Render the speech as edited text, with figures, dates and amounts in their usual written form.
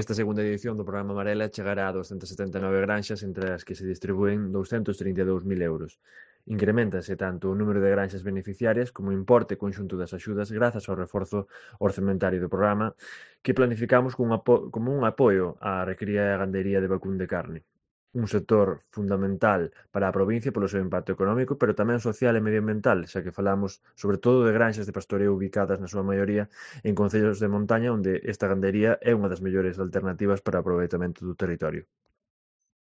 Esta segunda edición do programa Amarela chegará a 279 granxas entre as que se distribúen 232.000 euros. Increméntase tanto o número de granxas beneficiarias como o importe conxunto das axudas grazas ao reforzo orzamentario do programa que planificamos como un apoio á recría e gandería de vacún de carne. Un sector fundamental para a provincia polo seu impacto económico, pero tamén social e medioambiental, xa que falamos sobre todo de granxas de pastoreo ubicadas na súa maioría en concellos de montaña onde esta gandería é unha das mellores alternativas para o aproveitamento do territorio.